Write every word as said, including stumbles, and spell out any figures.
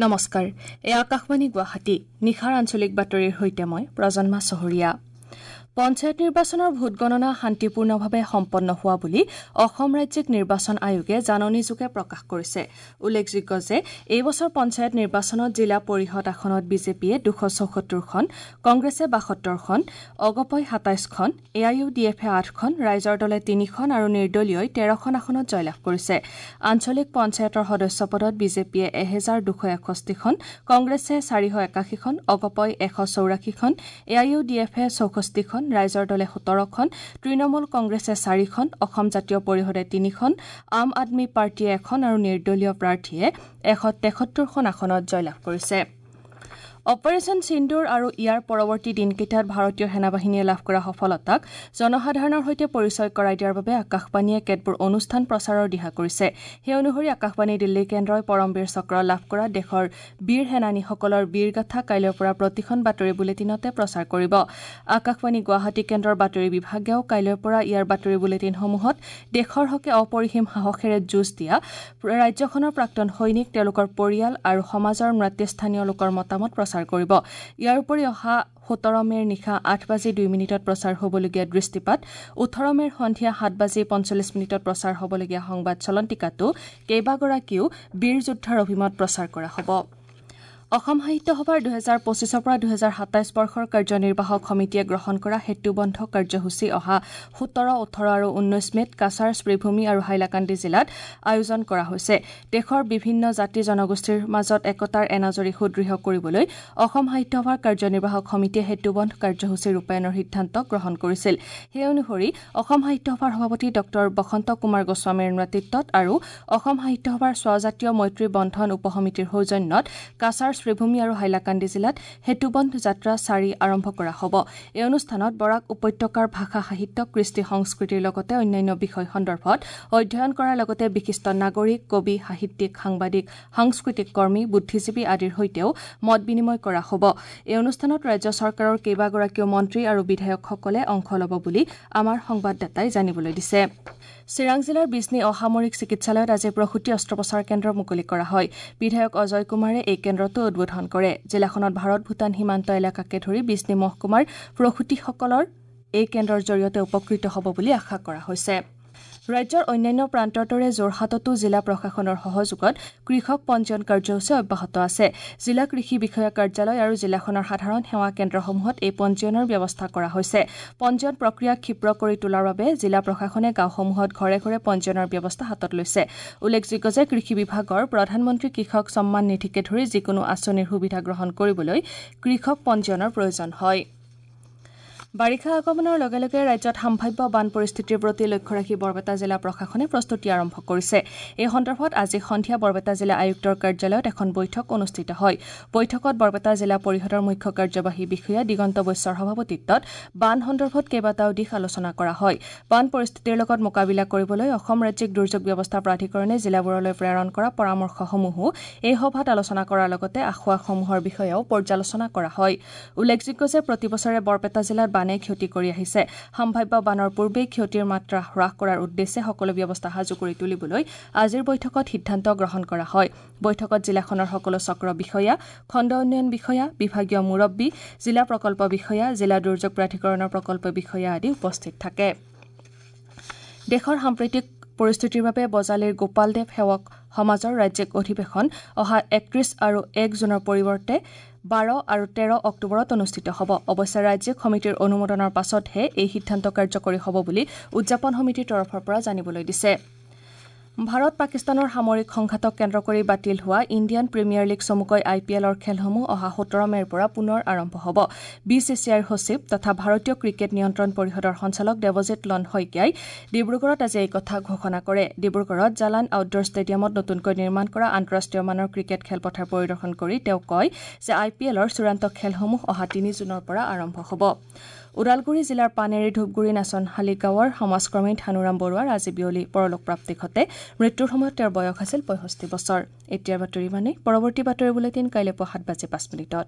নমস্কাৰ, এই আকাশবাণী গুৱাহাটী। নিশাৰ আঞ্চলিক বাতৰিৰ সৈতে মই প্ৰজন্মা চহৰীয়া। পঞ্চায়ত নিৰ্বাচনৰ ভোটগণনা শান্তিপূৰ্ণভাৱে সম্পন্ন হোৱা বুলি অসম ৰাজ্যিক নিৰ্বাচন আয়োগে জাননীযোগে প্ৰকাশ কৰিছে। উল্লেখযোগ্য যে এই বছৰ পঞ্চায়ত নিৰ্বাচনত জিলা পৰিষদ আসনত বিজেপিয়ে দুশ চৌসত্তৰখন, কংগ্ৰেছে বাসত্তৰখন, অগপই সাতাইছখন, এ I U D এফে আঠখন, ৰাইজৰ দলে তিনিখন আৰু নিৰ্দলীয়ই তেৰখন আসনত জয়লাভ কৰিছে। আঞ্চলিক পঞ্চায়তৰ সদস্য পদত বিজেপিয়ে এহেজাৰ দুশ এষষ্ঠিখন, কংগ্ৰেছে চাৰিশ একাশীখন, অগপই এশ চৌৰাশীখন, এ I U D এফে চৌষষ্ঠিখন, ৰাইজৰ দলে সোতৰখন, তৃণমূল কংগ্ৰেছে চাৰিখন, অসম জাতীয় পৰিষদে তিনিখন, আম আদমী পাৰ্টীয়ে এখন আৰু নিৰ্দলীয় প্ৰাৰ্থীয়ে এশ তেসত্তৰখন আসনত জয়লাভ কৰিছে। অপাৰেচন সিন্দুৰ আৰু ইয়াৰ পৰৱৰ্তী দিনকেইটাত ভাৰতীয় সেনাবাহিনীয়ে লাভ কৰা সফলতাক জনসাধাৰণৰ সৈতে পৰিচয় কৰাই দিয়াৰ বাবে আকাশবাণীয়ে কেতবোৰ অনুষ্ঠান প্ৰচাৰৰ দিহা কৰিছে। সেই অনুসৰি আকাশবাণী দিল্লী কেন্দ্ৰই পৰমবীৰ চক্ৰ লাভ কৰা দেশৰ বীৰ সেনানীসকলৰ বীৰগাথা কাইলৈৰ পৰা প্ৰতিখন বাতৰি বুলেটিনতে প্ৰচাৰ কৰিব। আকাশবাণী গুৱাহাটী কেন্দ্ৰৰ বাতৰি বিভাগেও কাইলৈৰ পৰা ইয়াৰ বাতৰি বুলেটিনসমূহত দেশৰ হকে অপৰিসীম সাহসেৰে যুঁজ দিয়া ৰাজ্যখনৰ প্ৰাক্তন সৈনিক, তেওঁলোকৰ পৰিয়াল আৰু সমাজৰ নেতৃস্থানীয় লোকৰ মতামত প্ৰচাৰ কৰিব। ইয়াৰ উপৰি অহা সোতৰ মে'ৰ নিশা আঠ বাজি দুই মিনিটত প্ৰচাৰ হ'বলগীয়া দৃষ্টিপাত, ওঠৰ মে'ৰ সন্ধিয়া সাত বাজি পঞ্চল্লিছ মিনিটত প্ৰচাৰ হ'বলগীয়া সংবাদ চলন্তিকাতো কেইবাগৰাকীও বীৰ যোদ্ধাৰ অভিমত প্ৰচাৰ কৰা হ'ব। অসম সাহিত্য সভাৰ দুহেজাৰ পঁচিছৰ পৰা দুহেজাৰ সাতাইছ বৰ্ষৰ কাৰ্যনিৰ্বাহক সমিতিয়ে গ্ৰহণ কৰা সেতুবন্ধ কাৰ্যসূচী অহা সোতৰ, ওঠৰ আৰু ঊনৈছ মে'ত কাছাৰ, শ্ৰীভূমি আৰু হাইলাকান্দি জিলাত আয়োজন কৰা হৈছে। দেশৰ বিভিন্ন জাতি জনগোষ্ঠীৰ মাজত একতাৰ এনাজৰী সুদৃঢ় কৰিবলৈ অসম সাহিত্য সভাৰ কাৰ্যনিৰ্বাহক সমিতিয়ে সেতুবন্ধ কাৰ্যসূচী ৰূপায়ণৰ সিদ্ধান্ত গ্ৰহণ কৰিছিল। সেই অনুসৰি অসম সাহিত্য সভাৰ সভাপতি ডক্টৰ বসন্ত কুমাৰ গোস্বামীৰ নেতৃত্বত আৰু অসম সাহিত্য সভাৰ স্বজাতীয় মৈত্ৰী বন্ধন উপসমিতিৰ সৌজন্যত কাছাৰ, শ্ৰীভূমি আৰু হাইলাকান্দি জিলাত সেতুবন্ধ যাত্ৰা চাৰি আৰম্ভ কৰা হ'ব। এই অনুষ্ঠানত বৰাক উপত্যকাৰ ভাষা সাহিত্য, কৃষ্টি সংস্কৃতিৰ লগতে অন্যান্য বিষয় সন্দৰ্ভত অধ্যয়ন কৰাৰ লগতে বিশিষ্ট নাগৰিক, কবি, সাহিত্যিক, সাংবাদিক, সাংস্কৃতিক কৰ্মী, বুদ্ধিজীৱী আদিৰ সৈতেও মত বিনিময় কৰা হ'ব। এই অনুষ্ঠানত ৰাজ্য চৰকাৰৰ কেইবাগৰাকীও মন্ত্ৰী আৰু বিধায়কসকলে অংশ ল'ব বুলি আমাৰ সংবাদদাতাই জানিবলৈ দিছে। চিৰাং জিলাৰ বিজনী অসামৰিক চিকিৎসালয়ত আজি প্ৰসূতি অস্ত্ৰোপচাৰ কেন্দ্ৰ মুকলি কৰা হয়। বিধায়ক অজয় কুমাৰে এই কেন্দ্ৰটো উদ্বোধন কৰে। জিলাখনত ভাৰত ভূটান সীমান্ত এলেকাকে ধৰি বিজনী মহকুমাৰ প্ৰসূতিসকলৰ এই কেন্দ্ৰৰ জৰিয়তে উপকৃত হ'ব বুলি আশা কৰা হৈছে। ৰাজ্যৰ অন্যান্য প্ৰান্তৰ দৰে যোৰহাটতো জিলা প্ৰশাসনৰ সহযোগত কৃষক পঞ্জীয়ন কাৰ্যসূচী অব্যাহত আছে। জিলা কৃষি বিষয়া কাৰ্যালয় আৰু জিলাখনৰ সাধাৰণ সেৱা কেন্দ্ৰসমূহত এই পঞ্জীয়নৰ ব্যৱস্থা কৰা হৈছে। পঞ্জীয়ন প্ৰক্ৰিয়া ক্ষীপ্ৰ কৰি তোলাৰ বাবে জিলা প্ৰশাসনে গাঁওসমূহত ঘৰে ঘৰে পঞ্জীয়নৰ ব্যৱস্থা হাতত লৈছে। উল্লেখযোগ্য যে কৃষি বিভাগৰ প্ৰধানমন্ত্ৰী কৃষক সন্মান নিধিকে ধৰি যিকোনো আঁচনিৰ সুবিধা গ্ৰহণ কৰিবলৈ কৃষক পঞ্জীয়নৰ প্ৰয়োজন হয়। বাৰিষা আগমনৰ লগে লগে ৰাজ্যত সম্ভাৱ্য বান পৰিস্থিতিৰ প্ৰতি লক্ষ্য ৰাখি বৰপেটা জিলা প্ৰশাসনে প্ৰস্তুতি আৰম্ভ কৰিছে। এই সন্দৰ্ভত আজি সন্ধিয়া বৰপেটা জিলা আয়ুক্তৰ কাৰ্যালয়ত এখন বৈঠক অনুষ্ঠিত হয়। বৈঠকত বৰপেটা জিলা পৰিষদৰ মুখ্য কাৰ্যবাহী বিষয়া দিগন্ত বৈশ্যৰ সভাপতিত্বত বান সন্দৰ্ভত কেইবাটাও দিশ আলোচনা কৰা হয়। বান পৰিস্থিতিৰ লগত মোকাবিলা কৰিবলৈ অসম ৰাজ্যিক দুৰ্যোগ ব্যৱস্থা প্ৰাধিকৰণে জিলাবোৰলৈ প্ৰেৰণ কৰা পৰামৰ্শসমূহো এই সভাত আলোচনা কৰাৰ লগতে আসোঁৱাহসমূহৰ বিষয়েও পৰ্যালোচনা কৰা হয়। উল্লেখযোগ্য যে প্ৰতি বছৰে বৰপেটা জিলাত বানে ক্ষতি কৰি আহিছে। সম্ভাৱ্য বানৰ পূৰ্বেই ক্ষতিৰ মাত্ৰা হ্ৰাস কৰাৰ উদ্দেশ্যে সকলো ব্যৱস্থা সাজু কৰি তুলিবলৈ আজিৰ বৈঠকত সিদ্ধান্ত গ্ৰহণ কৰা হয়। বৈঠকত জিলাখনৰ সকলো চক্ৰ বিষয়া, খণ্ড উন্নয়ন বিষয়া, বিভাগীয় মুৰব্বী, জিলা প্ৰকল্প বিষয়া, জিলা দুৰ্যোগ প্ৰাধিকৰণৰ প্ৰকল্প বিষয়া আদি উপস্থিত থাকে। দেশৰ সাম্প্ৰতিক পৰিস্থিতিৰ বাবে বজালীৰ গোপালদেৱ সেৱক সমাজৰ ৰাজ্যিক অধিৱেশন অহা একত্ৰিশ আৰু এক জুনৰ পৰিৱৰ্তে বাৰ আৰু তেৰ অক্টোবৰত অনুষ্ঠিত হ'ব। অৱশ্যে ৰাজ্যিক সমিতিৰ অনুমোদনৰ পাছতহে এই সিদ্ধান্ত কাৰ্যকৰী হ'ব বুলি উদযাপন সমিতিৰ তৰফৰ পৰা জানিবলৈ দিছে। ভাৰত পাকিস্তানৰ সামৰিক সংঘাতক কেন্দ্ৰ কৰি বাতিল হোৱা ইণ্ডিয়ান প্ৰিমিয়াৰ লীগ চমুকৈ আই পি এলৰ খেলসমূহ অহা সোতৰ মে'ৰ পৰা পুনৰ আৰম্ভ হ'ব। বি চি চি আইৰ সচিব তথা ভাৰতীয় ক্ৰিকেট নিয়ন্ত্ৰণ পৰিষদৰ সঞ্চালক দেৱজিৎ লন শইকীয়াই ডিব্ৰুগড়ত আজি এই কথা ঘোষণা কৰে। ডিব্ৰুগড়ত জালান আউটডোৰ ষ্টেডিয়ামত নতুনকৈ নিৰ্মাণ কৰা আন্তঃৰাষ্ট্ৰীয় মানৰ ক্ৰিকেট খেলপথাৰ পৰিদৰ্শন কৰি তেওঁ কয় যে আই পি এলৰ চূড়ান্ত খেলসমূহ অহা তিনি জুনৰ পৰা আৰম্ভ হ'ব। ওদালগুৰি জিলাৰ পানেৰী ধূপগুৰি নাচনশালী গাঁৱৰ সমাজকৰ্মী ধানুৰাম বৰুৱাৰ আজি বিয়লি পৰলোকপ্ৰাপ্তি ঘটে। মৃত্যুৰ সময়ত তেওঁৰ বয়স আছিল পঁয়ষষ্ঠি বছৰ। এতিয়াৰ বাতৰি মানে পৰৱৰ্তী বাতৰি বুলেটিন কাইলৈ পুৱা সাত বাজি পাঁচ মিনিটত।